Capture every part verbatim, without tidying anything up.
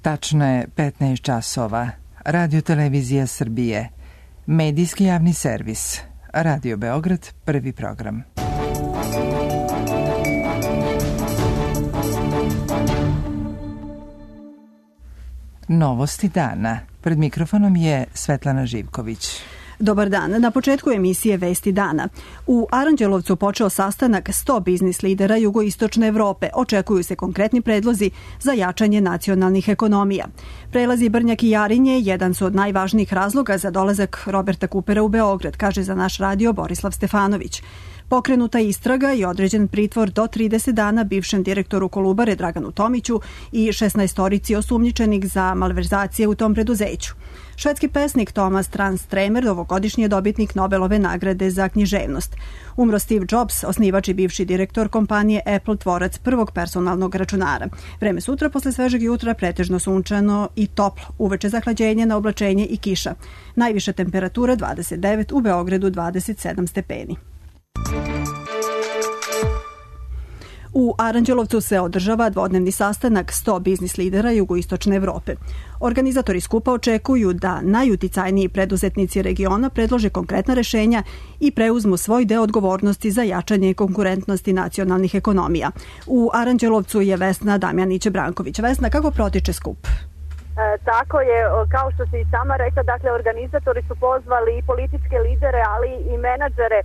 Tačno je petnaest časova. Radio Televizija Srbije. Medijski javni servis. Radio Beograd, prvi program. Novosti dana. Pred mikrofonom je Svetlana Živković. Dobar dan. Na početku emisije Vesti dana. U Aranđelovcu počeo sastanak sto biznis lidera jugoistočne Evrope. Očekuju se konkretni predlozi za jačanje nacionalnih ekonomija. Prelazi Brnjak i Jarinje jedan su od najvažnijih razloga za dolazak Roberta Kupera u Beograd, kaže za naš radio Borislav Stefanović. Pokrenuta istraga i određen pritvor do trideset dana bivšem direktoru Kolubare Draganu Tomiću i šesnaestorici osumnjičenih za malverzacije u tom preduzeću. Švedski pesnik Thomas Tranströmer, ovogodišnji je dobitnik Nobelove nagrade za književnost. Umro Steve Jobs, osnivač i bivši direktor kompanije Apple, tvorac prvog personalnog računara. Vreme sutra posle svežeg jutra pretežno sunčano i toplo. Uveče zahlađenje na oblačenje i kiša. Najviša temperatura dvadeset devet, u Beogradu dvadeset sedam stepeni. U Aranđelovcu se održava dvodnevni sastanak sto biznis lidera jugoistočne Evrope. Organizatori skupa očekuju da najuticajniji preduzetnici regiona predlože konkretna rešenja i preuzmu svoj deo odgovornosti za jačanje konkurentnosti nacionalnih ekonomija. U Aranđelovcu je Vesna Damjanić-Branković. Vesna, kako protiče skup? E, tako je, kao što si i sama rekla, dakle, organizatori su pozvali i političke lidere, ali i menadžere.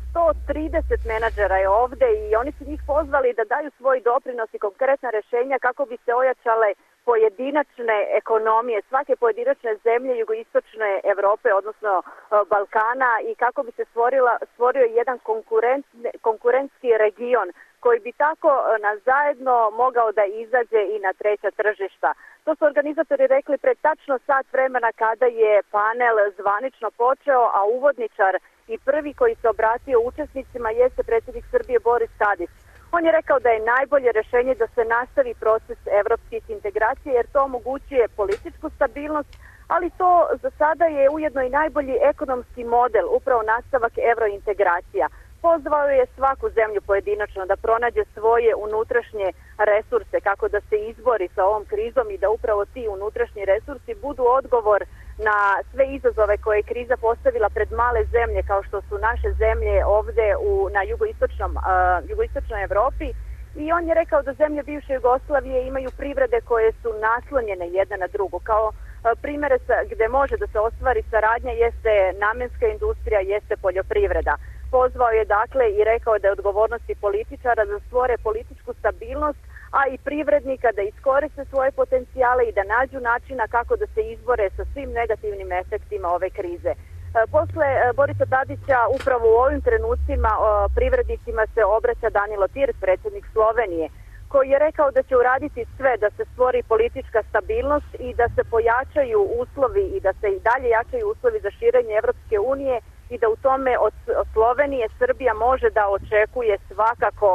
sto trideset menadžera je ovde i oni su njih pozvali da daju svoj doprinos i konkretna rešenja kako bi se ojačale pojedinačne ekonomije svake pojedinačne zemlje jugoistočne Evrope, odnosno Balkana, i kako bi se stvorila, stvorio jedan konkurent, konkurentski region koji bi tako na zajedno mogao da izađe i na treća tržišta. To su organizatori rekli pred tačno sat vremena kada je panel zvanično počeo, a uvodničar i prvi koji se obratio učesnicima jeste predsjednik Srbije Boris Tadić. On je rekao da je najbolje rešenje da se nastavi proces evropskih integracija jer to omogućuje političku stabilnost, ali to za sada je ujedno i najbolji ekonomski model, upravo nastavak evrointegracija. Pozvao je svaku zemlju pojedinačno da pronađe svoje unutrašnje resurse kako da se izbori sa ovom krizom i da upravo ti unutrašnji resursi budu odgovor na sve izazove koje je kriza postavila pred male zemlje kao što su naše zemlje ovde u, na jugoistočnom, uh, jugoistočnoj Evropi. I on je rekao da zemlje bivše Jugoslavije imaju privrede koje su naslonjene jedna na drugu. Kao uh, primere sa, gde može da se ostvari saradnja jeste namenska industrija, jeste poljoprivreda. Pozvao je dakle i rekao da je odgovornosti političara da stvore političku stabilnost, a i privrednika da iskoriste svoje potencijale i da nađu načina kako da se izbore sa svim negativnim efektima ove krize. Posle Borisa Tadića upravo u ovim trenucima privrednicima se obraća Danilo Tir, predsjednik Slovenije, koji je rekao da će uraditi sve da se stvori politička stabilnost i da se pojačaju uslovi i da se i dalje jačaju uslovi za širenje Evropske unije i da u tome od Slovenije Srbija može da očekuje svakako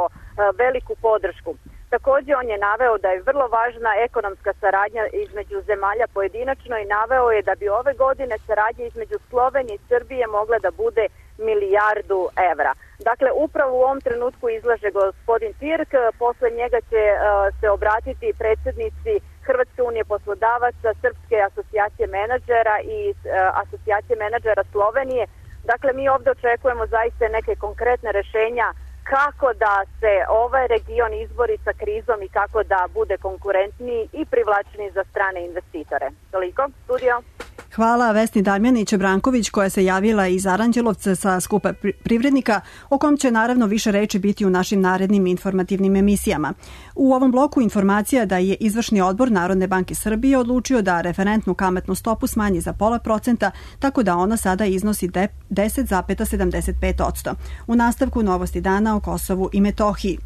veliku podršku. Također on je naveo da je vrlo važna ekonomska saradnja između zemalja pojedinačno i naveo je da bi ove godine saradnja između Slovenije i Srbije mogla da bude milijardu evra. Dakle, upravo u ovom trenutku izlaže gospodin Tirk, posle njega će uh, se obratiti predsjednici Hrvatske unije poslodavaca, Srpske asocijacije menadžera i uh, asocijacije menadžera Slovenije. Dakle, mi ovdje očekujemo zaista neke konkretne rešenja kako da se ovaj region izbori sa krizom i kako da bude konkurentniji i privlačniji za strane investitore. Toliko, studio. Hvala Vesni Damjanić-Branković koja se javila iz Aranđelovca sa skupa privrednika, o kom će naravno više reči biti u našim narednim informativnim emisijama. U ovom bloku informacija da je izvršni odbor Narodne banke Srbije odlučio da referentnu kamatnu stopu smanji za pola procenta, tako da ona sada iznosi deset zarez sedamdeset pet posto. U nastavku novosti dana o Kosovu i Metohiji.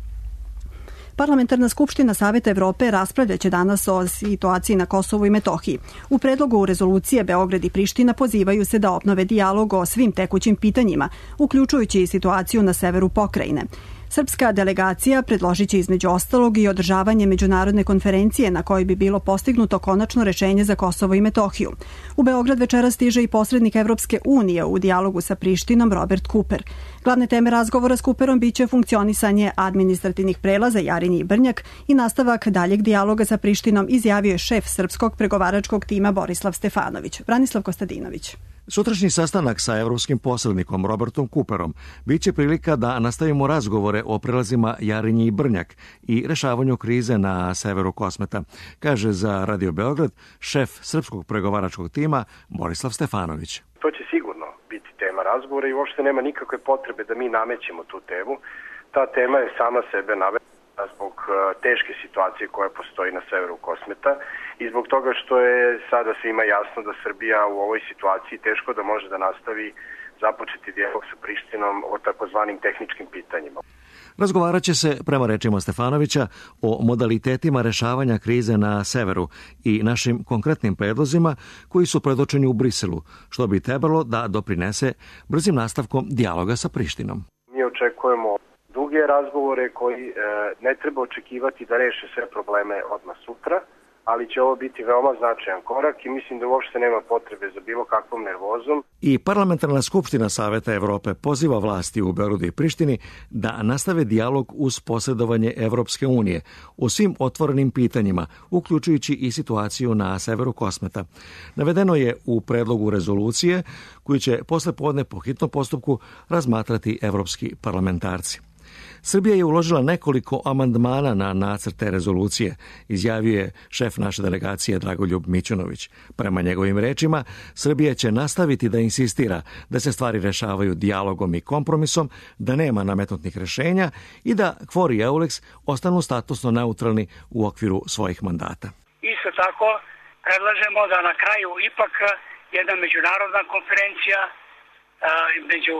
Parlamentarna skupština Saveta Evrope raspravljaće danas o situaciji na Kosovu i Metohiji. U predlogu rezolucije Beograd i Priština pozivaju se da obnove dijalog o svim tekućim pitanjima, uključujući i situaciju na severu pokrajine. Srpska delegacija predložit će između ostalog i održavanje međunarodne konferencije na kojoj bi bilo postignuto konačno rešenje za Kosovo i Metohiju. U Beograd večera stiže i posrednik Evropske unije u dijalogu sa Prištinom Robert Cooper. Glavne teme razgovora s Cooperom biće funkcionisanje administrativnih prelaza Jarinje i Brnjak i nastavak daljeg dijaloga sa Prištinom, izjavio je šef srpskog pregovaračkog tima Borislav Stefanović. Branislav Kostadinović. Sutrašnji sastanak sa evropskim posrednikom Robertom Cooperom biće prilika da nastavimo razgovore o prelazima Jarinje i Brnjak i rešavanju krize na severu Kosmeta, kaže za Radio Beograd šef srpskog pregovaračkog tima Borislav Stefanović. To će sigurno biti tema razgovora i uopšte nema nikakve potrebe da mi namećemo tu temu. Ta tema je sama sebe nametna zbog teške situacije koja postoji na severu Kosmeta i zbog toga što je sada svima jasno da Srbija u ovoj situaciji teško da može da nastavi započeti dijalog sa Prištinom o takozvanim tehničkim pitanjima. Razgovarat će se, prema rečima Stefanovića, o modalitetima rešavanja krize na severu i našim konkretnim predlozima koji su predočeni u Briselu, što bi trebalo da doprinese brzim nastavkom dijaloga sa Prištinom. Mi očekujemo duge razgovore koji e, ne treba očekivati da reše sve probleme odmah sutra, ali će ovo biti veoma značajan korak i mislim da uopšte nema potrebe za bilo kakvom nervozom. I Parlamentarna skupština Saveta Evrope poziva vlasti u Beogradu i Prištini da nastave dijalog uz posredovanje Evropske unije o svim otvorenim pitanjima, uključujući i situaciju na severu Kosmeta. Navedeno je u predlogu rezolucije koju će posle podne po hitnom postupku razmatrati evropski parlamentarci. Srbija je uložila nekoliko amandmana na nacrte rezolucije, izjavio je šef naše delegacije Dragoljub Mićunović. Prema njegovim rečima, Srbija će nastaviti da insistira da se stvari rešavaju dijalogom i kompromisom, da nema nametnutih rešenja i da KFOR i EULEX ostanu statusno neutralni u okviru svojih mandata. Isto tako, predlažemo da na kraju ipak jedna međunarodna konferencija među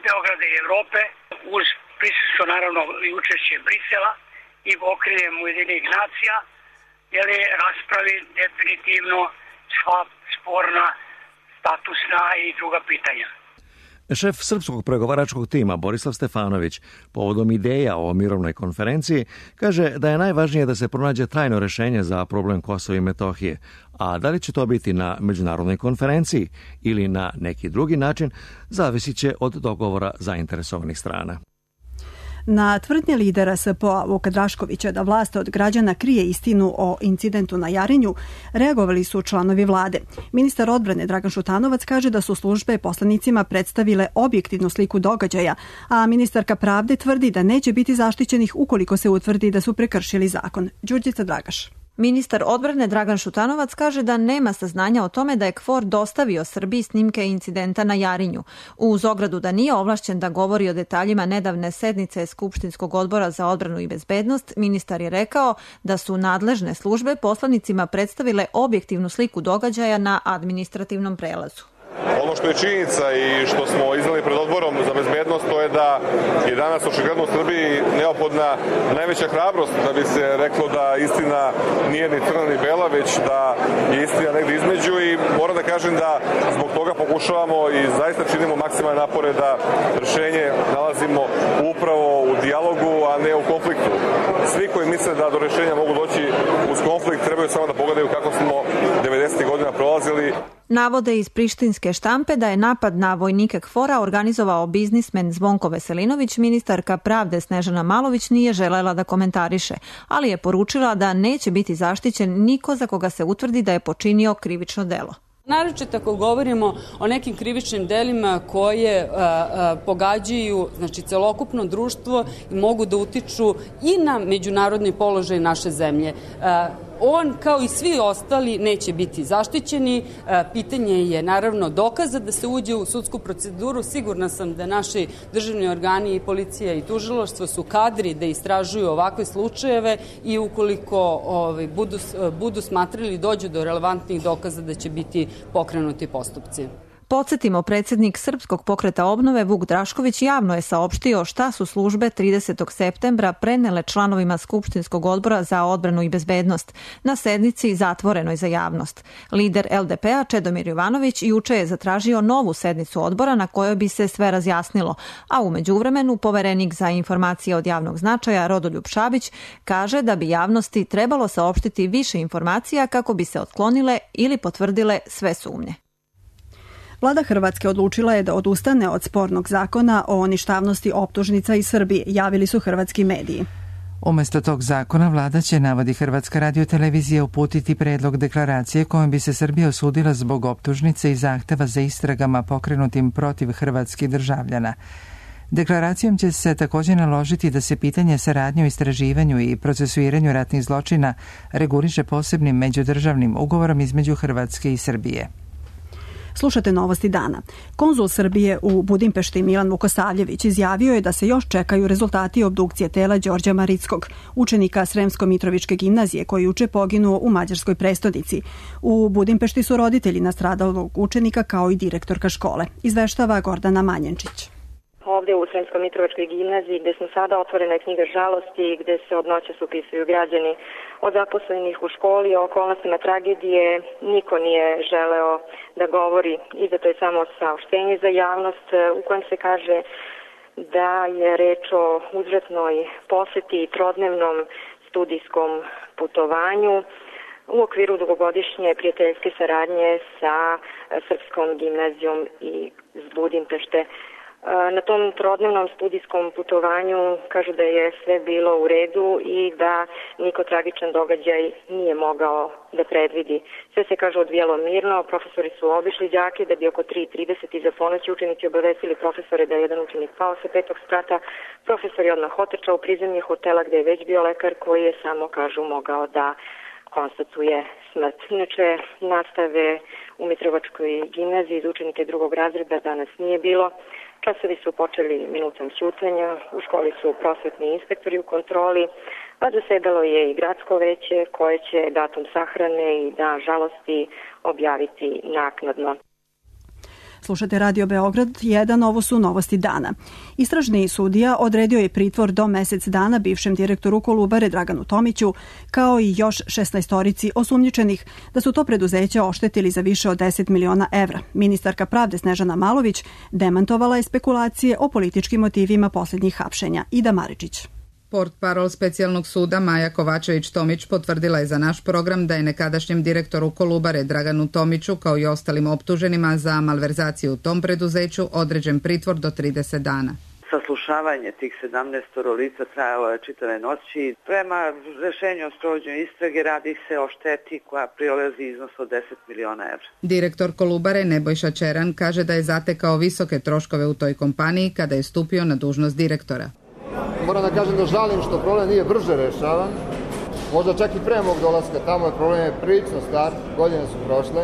Beograda i Evrope uz prisustvo naravno i učešće Brisela i okriljem Ujedinjenih nacija, jer je raspravi definitivno sva sporna, statusna i druga pitanja. Šef srpskog pregovaračkog tima Borislav Stefanović povodom ideja o mirovnoj konferenciji kaže da je najvažnije da se pronađe trajno rešenje za problem Kosova i Metohije, a da li će to biti na međunarodnoj konferenciji ili na neki drugi način zavisit će od dogovora zainteresovanih strana. Na tvrdnje lidera S P O-a Vuka Draškovića da vlast od građana krije istinu o incidentu na Jarinju, reagovali su članovi vlade. Ministar odbrane Dragan Šutanovac kaže da su službe poslanicima predstavile objektivnu sliku događaja, a ministarka pravde tvrdi da neće biti zaštićenih ukoliko se utvrdi da su prekršili zakon. Đurđica Dragaš. Ministar odbrane Dragan Šutanovac kaže da nema saznanja o tome da je KFOR dostavio Srbiji snimke incidenta na Jarinju. Uz ogradu da nije ovlašćen da govori o detaljima nedavne sednice Skupštinskog odbora za odbranu i bezbednost, ministar je rekao da su nadležne službe poslanicima predstavile objektivnu sliku događaja na administrativnom prelazu. Ono što je činjenica i što smo iznali pred odborom za bezbednost, to je da je danas očigledno u Srbiji neophodna najveća hrabrost da bi se reklo da istina nije ni crna ni bela, već da je istina negdje između i moram da kažem da zbog toga pokušavamo i zaista činimo maksimalne napore da rešenje nalazimo upravo u dijalogu, a ne u konfliktu. Svi koji misle da do rešenja mogu doći uz konflikt trebaju samo da pogledaju kako smo devedesetih godina prolazili. Navode iz prištinske štampe da je napad na vojnike KFOR-a organizovao biznismen Zvonko Veselinović, ministarka pravde Snežana Malović nije želela da komentariše, ali je poručila da neće biti zaštićen niko za koga se utvrdi da je počinio krivično delo. Naročito ako govorimo o nekim krivičnim delima koje a, a, pogađaju znači, celokupno društvo i mogu da utiču i na međunarodni položaj naše zemlje. A, on, kao i svi ostali, neće biti zaštićeni. Pitanje je naravno dokaza da se uđe u sudsku proceduru. Sigurna sam da naši državni organi i policija i tužilaštvo su kadri da istražuju ovakve slučajeve i ukoliko ovaj, budu, budu smatrali dođu do relevantnih dokaza da će biti pokrenuti postupci. Podsjetimo, predsjednik Srpskog pokreta obnove Vuk Drašković javno je saopštio šta su službe tridesetog septembra prenele članovima Skupštinskog odbora za odbranu i bezbednost na sednici zatvorenoj za javnost. Lider L D P-a Čedomir Jovanović juče je zatražio novu sednicu odbora na kojoj bi se sve razjasnilo, a u međuvremenu poverenik za informacije od javnog značaja Rodoljub Šabić kaže da bi javnosti trebalo saopštiti više informacija kako bi se otklonile ili potvrdile sve sumnje. Vlada Hrvatske odlučila je da odustane od spornog zakona o ništavnosti optužnica iz Srbije, javili su hrvatski mediji. Umjesto tog zakona vlada će, navodi Hrvatska radiotelevizija, uputiti predlog deklaracije kojom bi se Srbija osudila zbog optužnice i zahteva za istragama pokrenutim protiv hrvatskih državljana. Deklaracijom će se također naložiti da se pitanje saradnje u istraživanju i procesuiranju ratnih zločina reguliše posebnim međudržavnim ugovorom između Hrvatske i Srbije. Slušate novosti dana. Konzul Srbije u Budimpešti Milan Vukosavljević izjavio je da se još čekaju rezultati obdukcije tela Đorđa Marickog, učenika Sremsko-Mitrovičke gimnazije koji juče poginuo u mađarskoj prestonici. U Budimpešti su roditelji nastradalog učenika kao i direktorka škole. Izveštava Gordana Manjenčić. Ovdje u Sremsko-Mitrovičkoj gimnaziji gdje smo sada otvorena je knjiga žalosti gdje se od noćas upisuju građani od zaposlenih u školi o okolnostima tragedije. Niko nije želeo da govori, izdato je samo saopštenje za javnost u kojem se kaže da je reč o uzvratnoj poseti i trodnevnom studijskom putovanju u okviru dugogodišnje prijateljske saradnje sa Srpskom gimnazijom iz Budimpešte. Na tom trodnevnom studijskom putovanju kažu da je sve bilo u redu i da niko tragičan događaj nije mogao da predvidi. Sve se, kaže, odvijelo mirno, profesori su obišli đake da bi oko tri trideset iza ponoći učenici obavestili profesore da je jedan učenik pao sa petog sprata. Profesor je odmah otrčao u prizemlje hotela gde je već bio lekar koji je samo, kažu, mogao da konstatuje smrt. Inače, nastave u Mitrovačkoj gimnaziji za učenike drugog razreda danas nije bilo. Časovi su počeli minutom ćutanja, u školi su prosvetni inspektori u kontroli, a zasedalo je i gradsko veće koje će datum sahrane i dan žalosti objaviti naknadno. Slušate Radio Beograd jedan, ovo su novosti dana. Istražni sudija odredio je pritvor do mesec dana bivšem direktoru Kolubare Draganu Tomiću, kao i još šesnaestorici osumnjičenih da su to preduzeća oštetili za više od deset miliona evra. Ministarka pravde Snežana Malović demantovala je spekulacije o političkim motivima posljednjih hapšenja. Ida Maričić. Portparol specijalnog suda Maja Kovačević-Tomić potvrdila je za naš program da je nekadašnjem direktoru Kolubare Draganu Tomiću kao i ostalim optuženima za malverzaciju u tom preduzeću određen pritvor do trideset dana. Saslušavanje tih sedamnaestoro lica trajalo je čitave noći. Prema rešenju o sprovođenju istrage radi se o šteti koja prilazi iznos od deset miliona evra. Direktor Kolubare Nebojša Čeran kaže da je zatekao visoke troškove u toj kompaniji kada je stupio na dužnost direktora. Moram da kažem da žalim što problem nije brže rešavan. Možda čak i pre mog dolaska tamo je problem je prilično star, godine su prošle.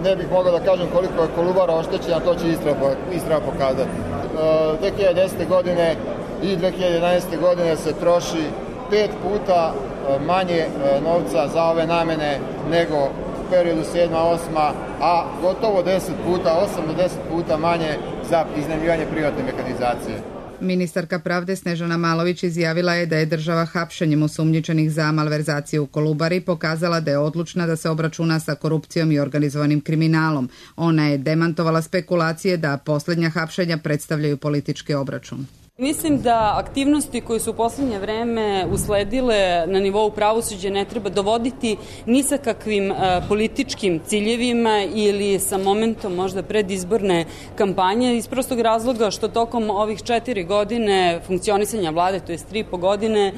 Ne bih mogao da kažem koliko je Kolubara oštećena, to će istraga pokazati. dve hiljade desete. godine i dve hiljade jedanaeste. godine se troši pet puta manje novca za ove namene nego u periodu sedma osma, a gotovo deset puta, osam do deset puta manje za iznajmljivanje privatne mehanizacije. Ministarka pravde Snežana Malović izjavila je da je država hapšenjem osumnjičenih za malverzaciju u Kolubari pokazala da je odlučna da se obračuna sa korupcijom i organizovanim kriminalom. Ona je demantovala spekulacije da posljednja hapšenja predstavljaju politički obračun. Mislim da aktivnosti koje su u posljednje vreme usledile na nivou pravosuđa ne treba dovoditi ni sa kakvim političkim ciljevima ili sa momentom možda predizborne kampanje iz prostog razloga što tokom ovih četiri godine funkcionisanja vlade, to je tri i po godine,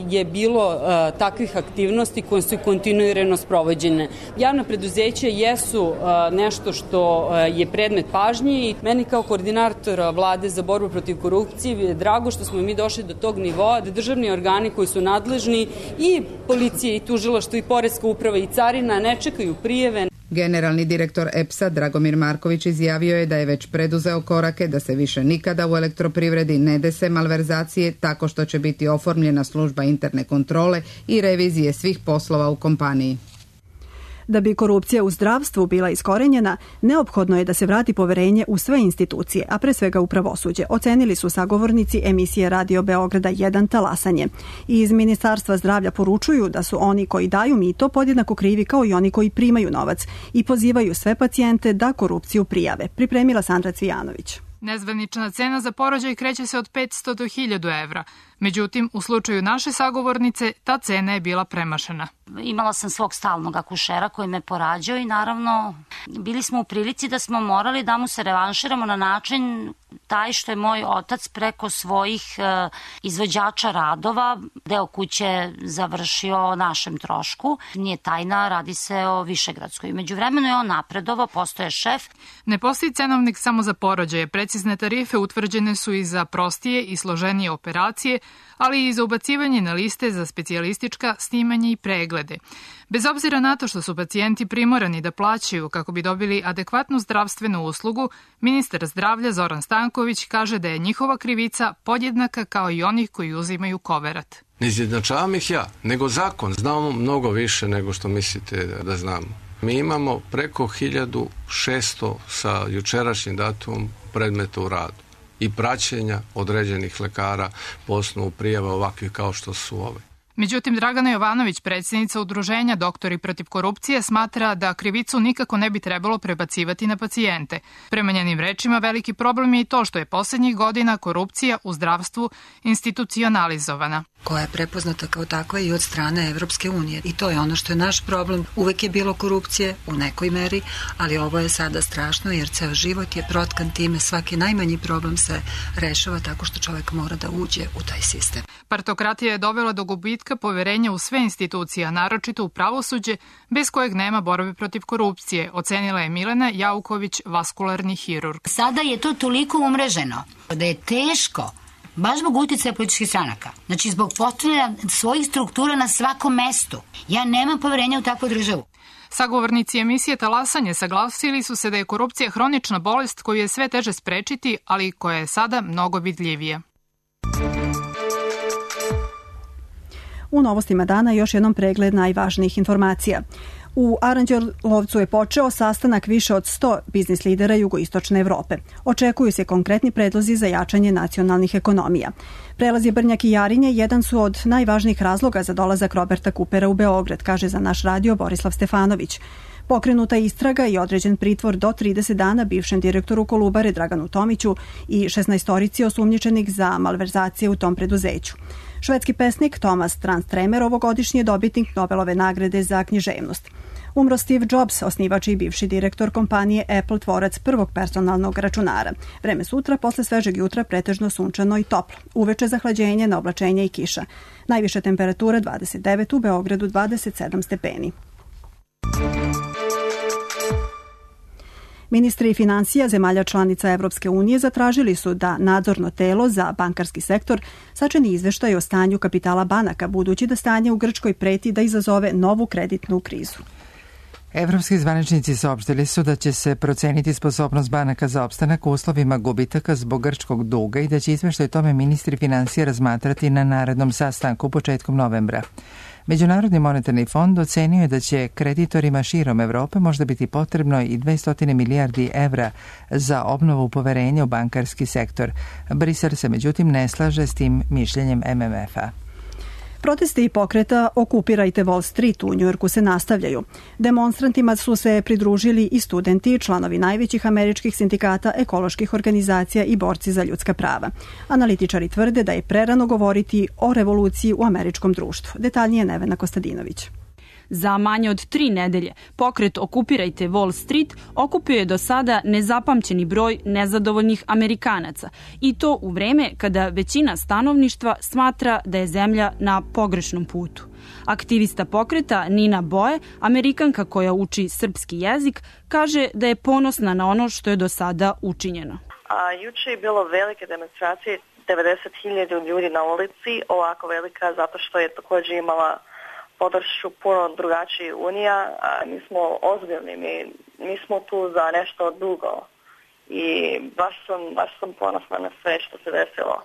je bilo takvih aktivnosti koje su kontinuirano sprovođene. Javna preduzeća jesu nešto što je predmet pažnje i meni kao koordinator vlade za borbu protiv korupcije je drago što smo mi došli do tog nivoa da državni organi koji su nadležni i policije i tužilaštvo i poreska uprava i carina ne čekaju prijeve. Generalni direktor E P S-a Dragomir Marković izjavio je da je već preduzeo korake da se više nikada u elektroprivredi ne dese malverzacije tako što će biti oformljena služba interne kontrole i revizije svih poslova u kompaniji. Da bi korupcija u zdravstvu bila iskorenjena, neophodno je da se vrati poverenje u sve institucije, a pre svega u pravosuđe, ocenili su sagovornici emisije Radio Beograda jedan Talasanje. I iz Ministarstva zdravlja poručuju da su oni koji daju mito podjednako krivi kao i oni koji primaju novac i pozivaju sve pacijente da korupciju prijave. Pripremila Sandra Cvijanović. Nezvanična cena za porođaj kreće se od petsto do hiljadu evra. Međutim, u slučaju naše sagovornice, ta cena je bila premašena. Imala sam svog stalnog akušera koji me porađao i naravno bili smo u prilici da smo morali da mu se revanširamo na način taj što je moj otac preko svojih e, izvođača radova deo kuće završio o našem trošku. Nije tajna, radi se o Višegradskoj. Međuvremeno je on napredovao, postoje šef. Ne postoji cenovnik samo za porođaje. Precizne tarife utvrđene su i za prostije i složenije operacije, ali i za ubacivanje na liste za specijalistička snimanje i preglede. Bez obzira na to što su pacijenti primorani da plaćaju kako bi dobili adekvatnu zdravstvenu uslugu, ministar zdravlja Zoran Stanković kaže da je njihova krivica podjednaka kao i onih koji uzimaju koverat. Ne izjednačavam ih ja, nego zakon. Znamo mnogo više nego što mislite da znamo. Mi imamo preko hiljadu šesto sa jučerašnjim datumom predmeta u radu i praćenja određenih lekara po osnovu prijava ovakvih kao što su ove. Međutim, Dragana Jovanović, predsjednica udruženja Doktori protiv korupcije, smatra da krivicu nikako ne bi trebalo prebacivati na pacijente. Prema njenim rečima, veliki problem je i to što je posljednjih godina korupcija u zdravstvu institucionalizovana. Koja je prepoznata kao takva i od strane Evropske unije. I to je ono što je naš problem. Uvek je bilo korupcije u nekoj meri, ali ovo je sada strašno jer ceo život je protkan time. Svaki najmanji problem se rešava tako što čovjek mora da uđe u taj sistem. Partokratija je dovela do gubitka poverenja u sve institucije, a naročito u pravosuđe, bez kojeg nema borbe protiv korupcije, ocenila je Milena Jauković, vaskularni hirurg. Sada je to toliko umreženo da je teško, baš zbog uticaja političkih stranaka. Znači, zbog postavljanja svojih struktura na svakom mestu. Ja nemam poverenja u takvu državu. Sagovornici emisije Talasanje saglasili su se da je korupcija hronična bolest koju je sve teže sprečiti, ali koja je sada mnogo vidljivija. U novostima dana još jednom pregled najvažnijih informacija. U Aranđelovcu je počeo sastanak više od sto biznis lidera jugoistočne Evrope. Očekuju se konkretni predlozi za jačanje nacionalnih ekonomija. Prelazi Brnjak i Jarinje jedan su od najvažnijih razloga za dolazak Roberta Kupera u Beograd, kaže za naš radio Borislav Stefanović. Pokrenuta istraga i određen pritvor do trideset dana bivšem direktoru Kolubare Draganu Tomiću i šesnaestorici osumnjičenih za malverzacije u tom preduzeću. Švedski pesnik Thomas Transtremer ovogodišnji je dobitnik Nobelove nagrade za književnost. Umro Steve Jobs, osnivač i bivši direktor kompanije Apple, tvorac prvog personalnog računara. Vreme sutra, posle svežeg jutra, pretežno sunčano i toplo. Uveče zahlađenje, na oblačenje i kiša. Najviša temperatura dvadeset devet, u Beogradu dvadeset sedam stepeni. Ministri financija zemalja članica Evropske unije zatražili su da nadzorno telo za bankarski sektor sačini izveštaj o stanju kapitala banaka, budući da stanje u Grčkoj preti da izazove novu kreditnu krizu. Evropski zvaničnici saopštili su da će se proceniti sposobnost banaka za opstanak u uslovima gubitaka zbog grčkog duga i da će izveštaj tome ministri financija razmatrati na narednom sastanku početkom novembra. Međunarodni monetarni fond ocenio je da će kreditorima širom Evrope možda biti potrebno i dvesta milijardi evra za obnovu poverenja u bankarski sektor. Brisel se međutim ne slaže s tim mišljenjem M M F-a. Protesti pokreta Okupirajte Wall Street u Njujorku se nastavljaju. Demonstrantima su se pridružili i studenti, članovi najvećih američkih sindikata, ekoloških organizacija i borci za ljudska prava. Analitičari tvrde da je prerano govoriti o revoluciji u američkom društvu. Detaljnije Nevena Kostadinović. Za manje od tri nedelje pokret Okupirajte Wall Street okupio je do sada nezapamćeni broj nezadovoljnih Amerikanaca i to u vreme kada većina stanovništva smatra da je zemlja na pogrešnom putu. Aktivista pokreta Nina Boe, Amerikanka koja uči srpski jezik, kaže da je ponosna na ono što je do sada učinjeno. A, juče je bilo velike demonstracije, devedeset hiljada ljudi na ulici, ovako velika zato što je također imala podršku puno drugačiji unija, a mi smo ozbiljni, mi, mi smo tu za nešto dugo i baš sam, baš sam ponosna na sve što se desilo.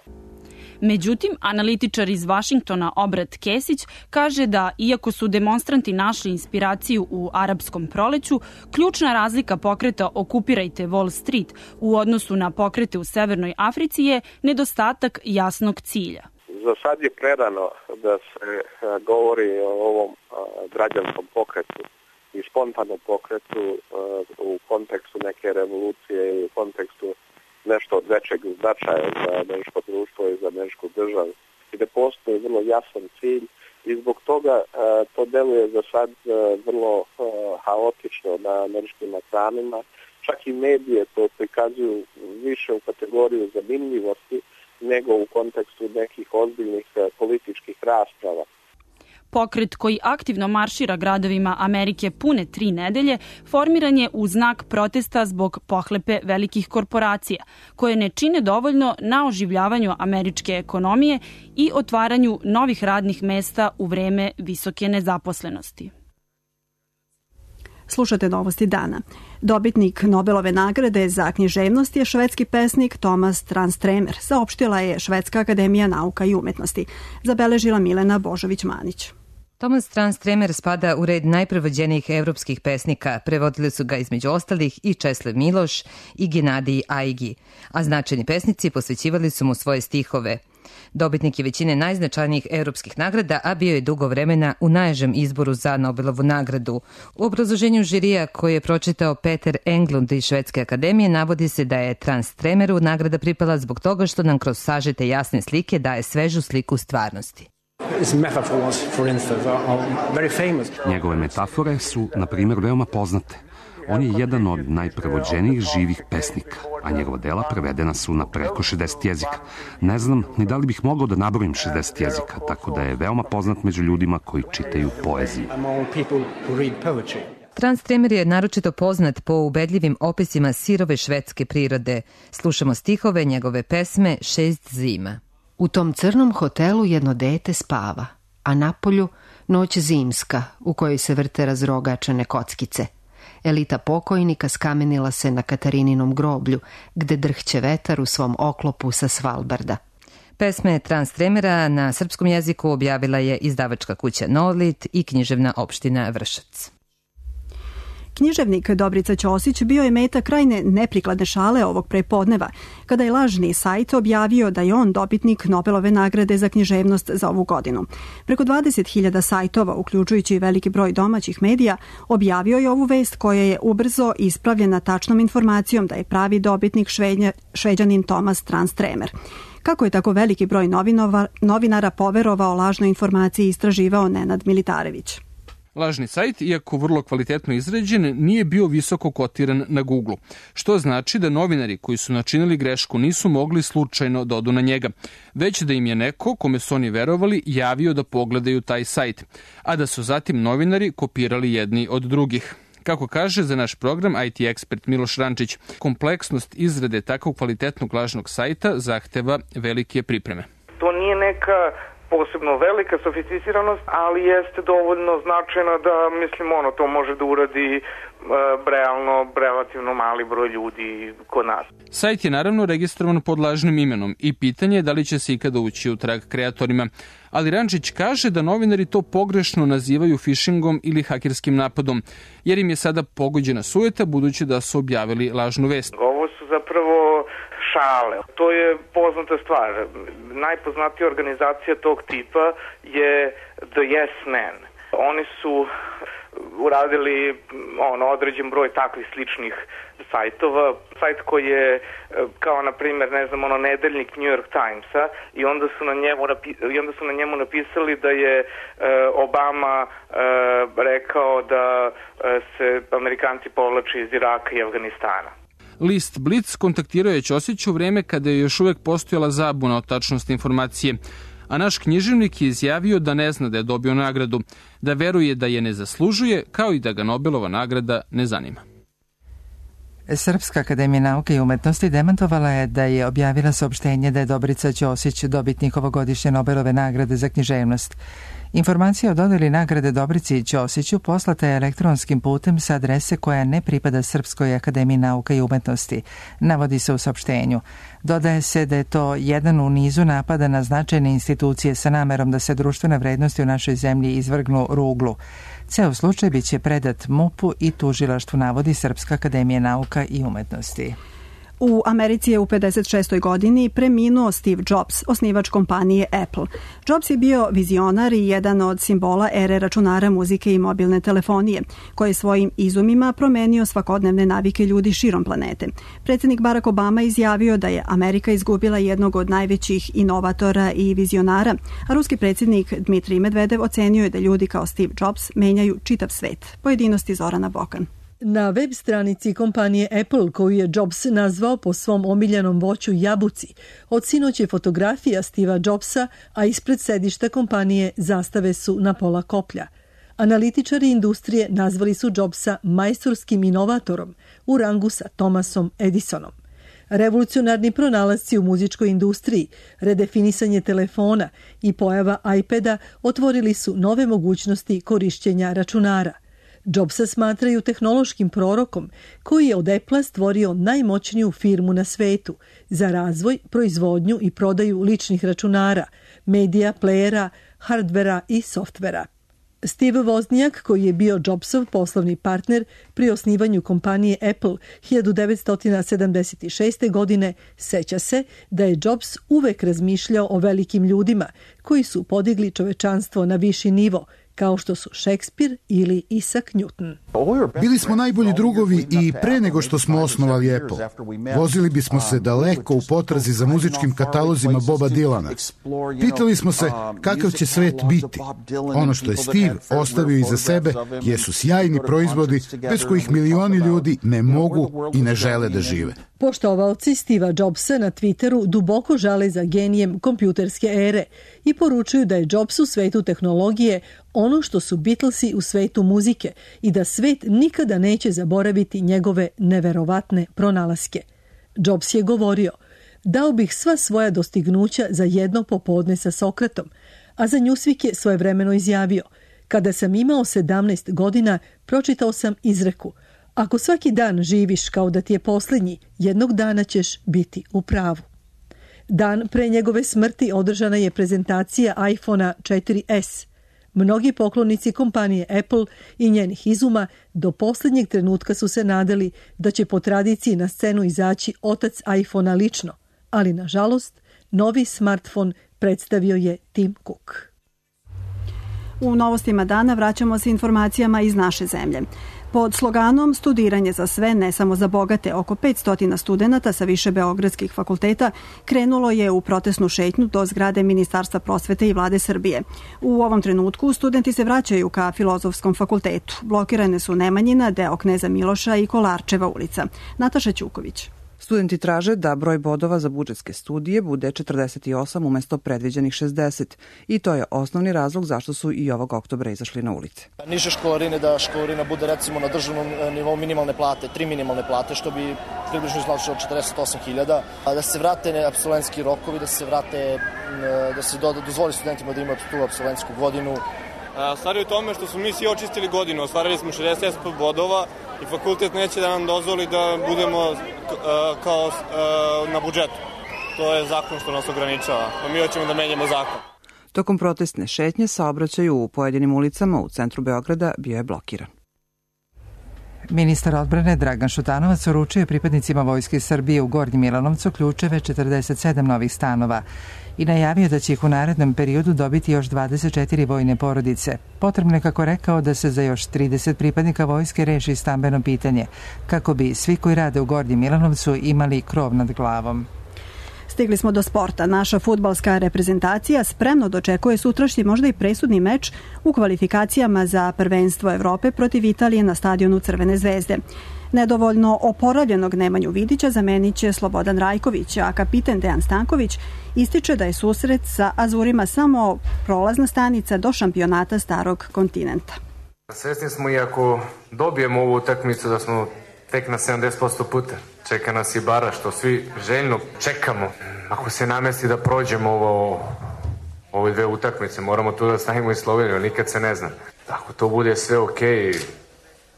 Međutim, analitičar iz Vašingtona Obrat Kesić kaže da, iako su demonstranti našli inspiraciju u arapskom proleću, ključna razlika pokreta Okupirajte Wall Street u odnosu na pokrete u Severnoj Africi je nedostatak jasnog cilja. Za sad je prerano da se govori o ovom građanskom pokretu i spontanom pokretu u kontekstu neke revolucije i u kontekstu nešto od većeg značaja za američko društvo i za američku državu. I da postoji vrlo jasan cilj i zbog toga to deluje za sad vrlo haotično na američkim ekranima. Čak i medije to prikazuju više u kategoriju zanimljivosti nego u kontekstu nekih ozbiljnih političkih rasprava. Pokret koji aktivno maršira gradovima Amerike pune tri nedelje formiran je u znak protesta zbog pohlepe velikih korporacija, koje ne čine dovoljno na oživljavanju američke ekonomije i otvaranju novih radnih mesta u vreme visoke nezaposlenosti. Slušate novosti dana. Dobitnik Nobelove nagrade za književnost je švedski pesnik Tomas Transtremer, saopštila je Švedska akademija nauka i umetnosti, zabeležila Milena Božović-Manić. Tomas Transtremer spada u red najprevođenijih evropskih pesnika. Prevodili su ga između ostalih i Česlav Miloš i Genadij Aigi, a značajni pesnici posvećivali su mu svoje stihove. Dobitnik je većine najznačajnijih evropskih nagrada, a bio je dugo vremena u najžem izboru za Nobelovu nagradu. U obrazloženju žirija koje je pročitao Peter Englund iz Švedske akademije navodi se da je Transtremeru nagrada pripala zbog toga što nam kroz sažete jasne slike daje svežu sliku stvarnosti. Njegove metafore su, na primjer, veoma poznate. On je jedan od najprevođenijih živih pesnika, a njegova dela prevedena su na preko šezdeset jezika. Ne znam ni da li bih mogao da nabrojim šezdeset jezika, tako da je veoma poznat među ljudima koji čitaju poeziju. Transtremer je naročito poznat po ubedljivim opisima sirove švedske prirode. Slušamo stihove njegove pesme Šest zima. U tom crnom hotelu jedno dete spava, a napolju noć zimska u kojoj se vrte razrogačene kockice. Elita pokojnika skamenila se na Katarininom groblju, gde drhće vetar u svom oklopu sa Svalbarda. Pesme Transtremera na srpskom jeziku objavila je izdavačka kuća Nolit i književna opština Vršac. Književnik Dobrica Ćosić bio je meta krajne neprikladne šale ovog prepodneva, kada je lažni sajt objavio da je on dobitnik Nobelove nagrade za književnost za ovu godinu. Preko dvadeset hiljada sajtova, uključujući i veliki broj domaćih medija, objavio je ovu vest koja je ubrzo ispravljena tačnom informacijom da je pravi dobitnik švednja, šveđanin Tomas Transtremer. Kako je tako veliki broj novinova, novinara poverovao lažnoj informaciji, istraživao Nenad Militarević. Lažni sajt, iako vrlo kvalitetno izrađen, nije bio visoko kotiran na Google, što znači da novinari koji su načinili grešku nisu mogli slučajno da odu na njega, već da im je neko, kome su oni verovali, javio da pogledaju taj sajt, a da su zatim novinari kopirali jedni od drugih. Kako kaže za naš program I T ekspert Miloš Rančić, kompleksnost izrade takvog kvalitetnog lažnog sajta zahteva velike pripreme. To nije neka posebno velika sofisticiranost, ali jeste dovoljno značajna da, mislim, ono, to može da uradi e, realno, relativno mali broj ljudi kod nas. Sajt je naravno registrovan pod lažnim imenom i pitanje je da li će se ikada ući u trag kreatorima. Ali Rančić kaže da novinari to pogrešno nazivaju phishingom ili hakerskim napadom, jer im je sada pogođena sujeta budući da su objavili lažnu vest. Ovo su zapravo šale. To je poznata stvar. Najpoznatija organizacija tog tipa je The Yes Men. Oni su uradili ono, određen broj takvih sličnih sajtova. Sajt koji je kao, na primjer, ne znam, ono, nedeljnik New York Timesa i onda su na njemu, i onda su na njemu napisali da je e, Obama e, rekao da e, se Amerikanci povlače iz Iraka i Afganistana. List Blitz kontaktirao je Ćosić u vreme kada je još uvek postojala zabuna o tačnosti informacije, a naš književnik je izjavio da ne zna da je dobio nagradu, da veruje da je ne zaslužuje, kao i da ga Nobelova nagrada ne zanima. Srpska akademija nauke i umetnosti demantovala je da je objavila saopštenje da je Dobrica Ćosić dobitnik ovogodišnje Nobelove nagrade za književnost. Informacija o dodeli nagrade Dobrici Ćosiću poslata je elektronskim putem sa adrese koja ne pripada Srpskoj akademiji nauka i umetnosti, navodi se u saopštenju. Dodaje se da je to jedan u nizu napada na značajne institucije sa namerom da se društvene vrednosti u našoj zemlji izvrgnu ruglu. Ceo slučaj biće predat M U P-u i tužilaštvu, navodi Srpska akademija nauka i umetnosti. U Americi je u pedeset šestoj godini preminuo Steve Jobs, osnivač kompanije Apple. Jobs je bio vizionar i jedan od simbola ere računara, muzike i mobilne telefonije, koji je svojim izumima promenio svakodnevne navike ljudi širom planete. Predsjednik Barack Obama izjavio da je Amerika izgubila jednog od najvećih inovatora i vizionara, a ruski predsjednik Dmitrij Medvedev ocenio je da ljudi kao Steve Jobs menjaju čitav svet. Pojedinosti Zorana Bokan. Na web stranici kompanije Apple, koju je Jobs nazvao po svom omiljenom voću jabuci, od sinoć je fotografija Steva Jobsa, a ispred sedišta kompanije zastave su na pola koplja. Analitičari industrije nazvali su Jobsa majstorskim inovatorom u rangu sa Thomasom Edisonom. Revolucionarni pronalasci u muzičkoj industriji, redefinisanje telefona i pojava iPada otvorili su nove mogućnosti korišćenja računara. Jobsa smatraju tehnološkim prorokom koji je od Apple stvorio najmoćniju firmu na svetu za razvoj, proizvodnju i prodaju ličnih računara, medija, plejera, hardvera i softvera. Steve Wozniak, koji je bio Jobsov poslovni partner pri osnivanju kompanije Apple hiljadu devetsto sedamdeset šeste. godine, seća se da je Jobs uvek razmišljao o velikim ljudima koji su podigli čovečanstvo na viši nivo, kao što su Šekspir ili Isaac Newton. Bili smo najbolji drugovi i pre nego što smo osnovali Apple. Vozili bismo se daleko u potrazi za muzičkim katalozima Boba Dylana. Pitali smo se kakav će svet biti. Ono što je Steve ostavio iza sebe jesu sjajni proizvodi bez kojih milioni ljudi ne mogu i ne žele da žive. Poštovaoci Steva Jobsa na Twitteru duboko žale za genijem kompjuterske ere i poručuju da je Jobs u svetu tehnologije ono što su Beatlesi u svetu muzike i da svet nikada neće zaboraviti njegove neverovatne pronalaske. Jobs je govorio: dao bih sva svoja dostignuća za jedno popodne sa Sokratom, a za Newsweek je svojevremeno izjavio: kada sam imao sedamnaest godina, pročitao sam izreku: ako svaki dan živiš kao da ti je posljednji, jednog dana ćeš biti u pravu. Dan pre njegove smrti održana je prezentacija iPhone četiri es. Mnogi poklonici kompanije Apple i njenih izuma do posljednjeg trenutka su se nadali da će po tradiciji na scenu izaći otac iPhonea lično, ali nažalost novi smartfon predstavio je Tim Cook. U novostima dana vraćamo se informacijama iz naše zemlje. Pod sloganom Studiranje za sve, ne samo za bogate, oko petsto studenata sa više beogradskih fakulteta krenulo je u protestnu šetnju do zgrade Ministarstva prosvete i Vlade Srbije. U ovom trenutku studenti se vraćaju ka Filozofskom fakultetu. Blokirane su Nemanjina, deo Kneza Miloša i Kolarčeva ulica. Nataša Ćuković. Studenti traže da broj bodova za budžetske studije bude četrdeset osam umesto predviđenih šezdeset i to je osnovni razlog zašto su i ovog oktobra izašli na ulice. Niže školarine, da školarina bude recimo na državnom nivou minimalne plate, tri minimalne plate, što bi približno značilo četrdeset osam hiljada, da se vrate apsolventski rokovi, da se vrate, da se dozvoli studentima da imaju tu apsolventsku godinu. Stvar je u tome što smo mi svi očistili godinu, ostvarili smo šezdeset bodova i fakultet neće da nam dozvoli da budemo kao na budžetu. To je zakon što nas ograničava, a mi hoćemo da menjamo zakon. Tokom protestne šetnje saobraćaj u pojedinim ulicama u centru Beograda bio je blokiran. Ministar odbrane Dragan Šutanovac uručio pripadnicima Vojske Srbije u Gornjem Milanovcu ključeve četrdeset sedam novih stanova i najavio da će ih u narednom periodu dobiti još dvadeset četiri vojne porodice. Potrebno je, kako rekao, da se za još trideset pripadnika vojske reši stambeno pitanje, kako bi svi koji rade u Gornjem Milanovcu imali krov nad glavom. Stigli smo do sporta. Naša fudbalska reprezentacija spremno dočekuje sutrašnji možda i presudni meč u kvalifikacijama za prvenstvo Evrope protiv Italije na stadionu Crvene zvezde. Nedovoljno oporavljenog Nemanju Vidića zamenit će Slobodan Rajković, a kapiten Dejan Stanković ističe da je susret sa Azurima samo prolazna stanica do šampionata starog kontinenta. Svesni smo, i ako dobijemo ovu utakmicu, da smo tek na sedamdeset posto puta. Čeka nas i bara, što svi željno čekamo. Ako se namesti da prođemo ovo ove dve utakmice, moramo tu da stavimo i Sloveniju, nikad se ne zna. Ako to bude sve okej,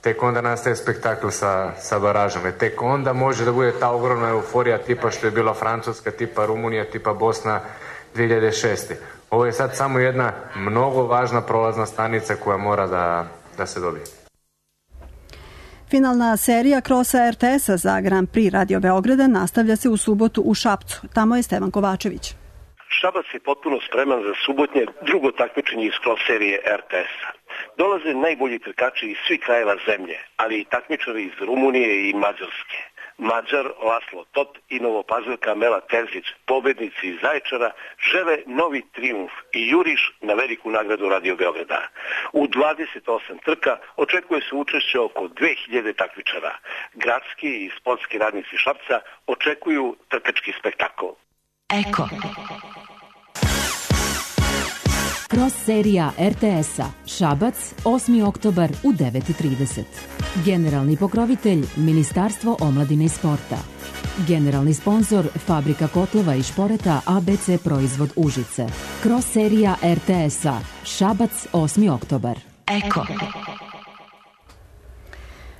tek onda nastaje spektakl sa, sa baražom. E tek onda može da bude ta ogromna euforija tipa što je bila Francuska, tipa Rumunija, tipa Bosna dve hiljade šeste. Ovo je sad samo jedna mnogo važna prolazna stanica koja mora da, da se dobije. Finalna serija krosa er te es-a za Grand Prix Radio Beograda nastavlja se u subotu u Šapcu. Tamo je Stevan Kovačević. Šabac je potpuno spreman za subotnje drugo takmičenje iz cross serije er te es-a. Dolaze najbolji trkači iz svih krajeva zemlje, ali i takmičari iz Rumunije i Mađarske. Mađar Laslo Tot i Novopazilka Mela Terzić, pobednici iz Zaječara, žele novi trijumf i juriš na veliku nagradu Radio Beograda. U dvadeset osam trka očekuje se učešće oko dve hiljade takmičara. Gradski i sportski radnici Šapca očekuju trkački spektakl. Eko. Cross serija er te es-a Šabac, osmi oktobar u devet i trideset. Generalni pokrovitelj Ministarstvo omladine i sporta. Generalni sponzor Fabrika kotlova i šporeta a be ce Proizvod Užice. Cross serija er te es-a Šabac, osmi oktobar. Eko.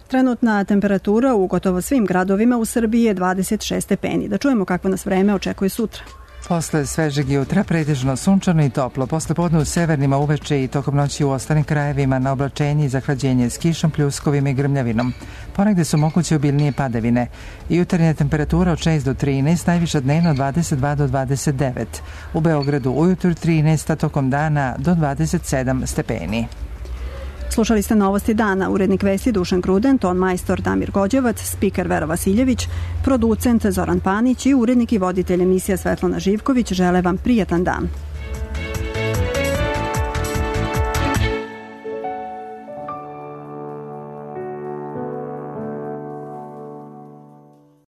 Trenutna temperatura u gotovo svim gradovima u Srbiji je dvadeset šest stepeni. Da čujemo kako nas vreme očekuje sutra. Posle svežeg jutra pretežno sunčano i toplo, posle podne u severnima uveče i tokom noći u ostalim krajevima na oblačenje i zahlađenje s kišom, pljuskovima i grmljavinom. Ponegde su moguće obilnije padavine. Jutarnja temperatura od šest do trinaest, najviša dnevno dvadeset dva do dvadeset devet. U Beogradu ujutru trinaest, a tokom dana do dvadeset sedam stepeni. Slušali ste novosti dana, urednik vesti Dušan Kruden, ton majstor Damir Gođevac, spiker Vera Vasiljević, producent Zoran Panić i urednik i voditelj emisija Svetlana Živković žele vam prijatan dan.